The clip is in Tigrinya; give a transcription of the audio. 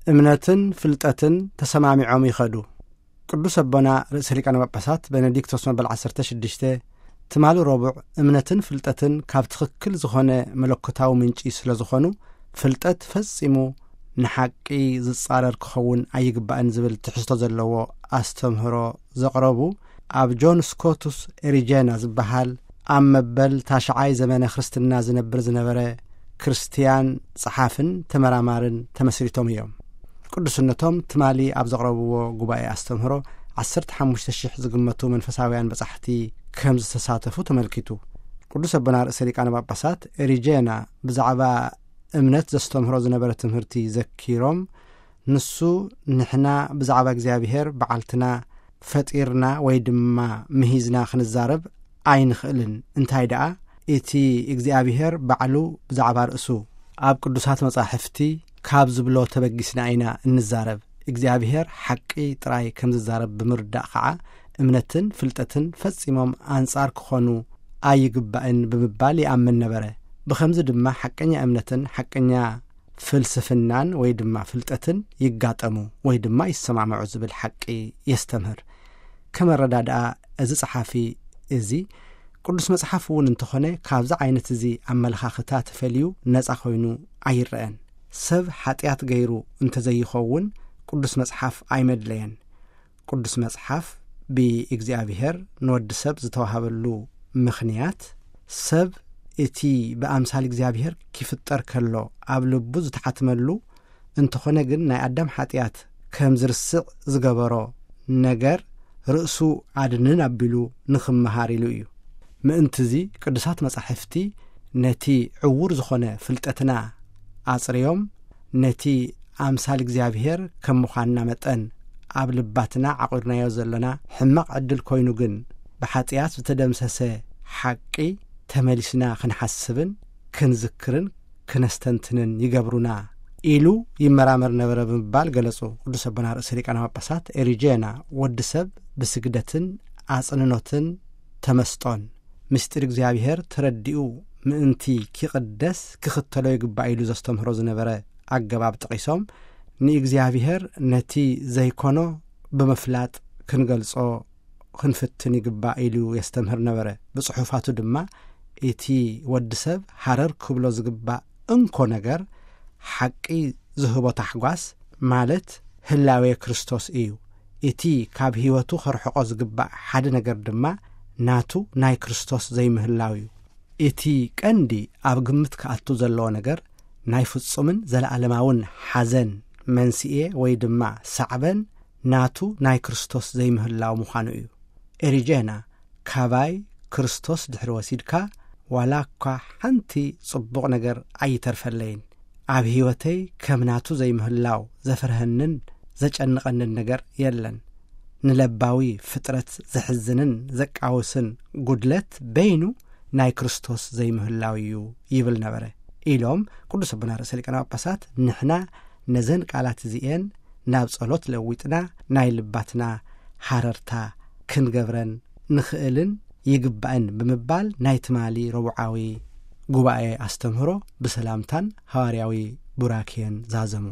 እምነትን ፍልጠትን ተሰማሚዖም ይኸዱ። ቅዱስ ኣቦና ርእሰ ሊቃነ ጳጳሳት ቤኔዲክቶስ መበል ዓሰርተ ሽዱሽተ ትማሊ ረቡዕ፣ እምነትን ፍልጠትን ካብ ትኽክል ዝኾነ መለኮታዊ ምንጪ ስለ ዝኾኑ፣ ፍልጠት ፈጺሙ ንሓቂ ዝጻረር ክኸውን ኣይግባእን ዝብል ትሕዝቶ ዘለዎ ኣስተምህሮ ዘቕረቡ፣ ኣብ ጆን ስኮቱስ ኤሪጀና ዝበሃል ኣብ መበል ታሽዓይ ዘመነ ክርስትና ዝነብር ዝነበረ ክርስትያን ጸሓፍን ተመራማርን ተመስሪቶም እዮም። ቅዱስነቶም ትማሊ ኣብ ዘቕረብዎ ጉባኤ ኣስተምህሮ ዓሰርተ ሓሙሽተ ሽሕ ዝግመቱ መንፈሳውያን በጻሕቲ ከም ዝተሳተፉ ተመልኪቱ። ቅዱስ ኣቦና ርእሰ ሊቃነ ጳጳሳት ኤሪጀና ብዛዕባ እምነት ዘስተምህሮ ዝነበረ ትምህርቲ ዘኪሮም፣ ንሱ ንሕና ብዛዕባ እግዚኣብሔር በዓልትና ፈጢርና ወይ ድማ ምሂዝና ክንዛረብ ኣይንኽእልን። እንታይ ደኣ፣ እቲ እግዚኣብሔር ባዕሉ ብዛዕባ ርእሱ ኣብ ቅዱሳት መጻሕፍቲ ካብ ዝብሎ ተበጊስና ኢና እንዛረብ። እግዚኣብሔር ሓቂ ጥራይ ከም ዝዛረብ ብምርዳእ ኸዓ፣ እምነትን ፍልጠትን ፈጺሞም ኣንጻር ክኾኑ ኣይግባእን ብምባል ይኣምን ነበረ። ብኸምዚ ድማ ሓቀኛ እምነትን ሓቀኛ ፍልስፍናን ወይ ድማ ፍልጠትን ይጋጠሙ ወይ ድማ ይሰማምዑ ዝብል ሓቂ የስተምህር። ከም ኣረዳድኣ እዚ ጸሓፊ፣ እዚ ቅዱስ መጽሓፍ እውን እንተኾነ ካብዚ ዓይነት እዚ ኣመለኻኽታ ተፈልዩ ነጻ ኮይኑ ኣይረአን። ሰብ ሓጢኣት ገይሩ እንተዘይኸውን ቅዱስ መጽሓፍ ኣይመድለየን። ቅዱስ መጽሓፍ ብእግዚኣብሔር ንወዲ ሰብ ዝተዋህበሉ ምኽንያት፣ ሰብ እቲ ብኣምሳል እግዚኣብሔር ኪፍጠር ከሎ ኣብ ልቡ ዝተሓትመሉ እንተኾነ ግን፣ ናይ ኣዳም ሓጢኣት ከም ዝርስዕ ዝገበሮ ነገር ርእሱ ኣድንን ኣቢሉ ንኽመሃር ኢሉ እዩ። ምእንትዚ ቅዱሳት መጻሕፍቲ ነቲ ዕዉር ዝኾነ ፍልጠትና ኣጽርዮም፣ ነቲ ኣምሳል እግዚኣብሔር ከም ምዃንና መጠን ኣብ ልባትና ዓቑርናዮ ዘሎና ሕማቕ ዕድል ኮይኑ ግን፣ ብሓጢኣት ዝተደምሰሰ ሓቂ ተመሊስና ክንሓስብን ክንዝክርን ክነስተንትንን ይገብሩና ኢሉ ይመራመር ነበረ ብምባል ገለጹ። ቅዱስ ኣቦና ርእሰ ሊቃነ ጳጳሳት ኤሪጄና፣ ወዲ ሰብ ብስግደትን ኣጽንኖትን ተመስጦን ምስጢር እግዚኣብሔር ተረዲኡ ምእንቲ ኪቕደስ ክኽተሎ ይግባእ ኢሉ ዘስተምህሮ ዝነበረ ኣገባብ ጠቒሶም፣ ንእግዚኣብሔር ነቲ ዘይኮኖ ብምፍላጥ ክንገልጾ ክንፍትን ይግባእ ኢሉ የስተምህር ነበረ። ብጽሑፋቱ ድማ፣ እቲ ወዲ ሰብ ሃረር ክብሎ ዝግባእ እንኮ ነገር፣ ሓቂ ዝህቦ ታሕጓስ፣ ማለት ህላዌ ክርስቶስ እዩ። እቲ ካብ ህይወቱ ከርሕቆ ዝግባእ ሓደ ነገር ድማ፣ ናቱ ናይ ክርስቶስ ዘይምህላው እዩ። እቲ ቀንዲ ኣብ ግምት ክኣቱ ዘለዎ ነገር፣ ናይ ፍጹምን ዘለኣለማውን ሓዘን መንስኤ ወይ ድማ ሳዕበን፣ ናቱ ናይ ክርስቶስ ዘይምህላው ምዃኑ እዩ። ኤሪጄና፣ ካባይ ክርስቶስ ድሕሪ ወሲድካ፣ ዋላ እኳ ሓንቲ ጽቡቕ ነገር ኣይተርፈለይን። ኣብ ህይወተይ ከም ናቱ ዘይምህላው ዘፍርሀንን ዘጨንቐንን ነገር የለን። ንለባዊ ፍጥረት ዘሕዝንን ዘቃውስን ጉድለት በይኑ ናይ ክርስቶስ ዘይምህላው እዩ ይብል ነበረ፣ ኢሎም ቅዱስ ኣቦና ርእሰ ሊቃነ ጳጳሳት። ንሕና ነዘን ቃላት እዚኤን ናብ ጸሎት ለዊጥና፣ ናይ ልባትና ሃረርታ ክንገብረን ንኽእልን ይግባእን ብምባል፣ ናይ ትማሊ ረቡዓዊ ጉባኤ ኣስተምህሮ ብሰላምታን ሃዋርያዊ ቡራኬን ዛዘሙ።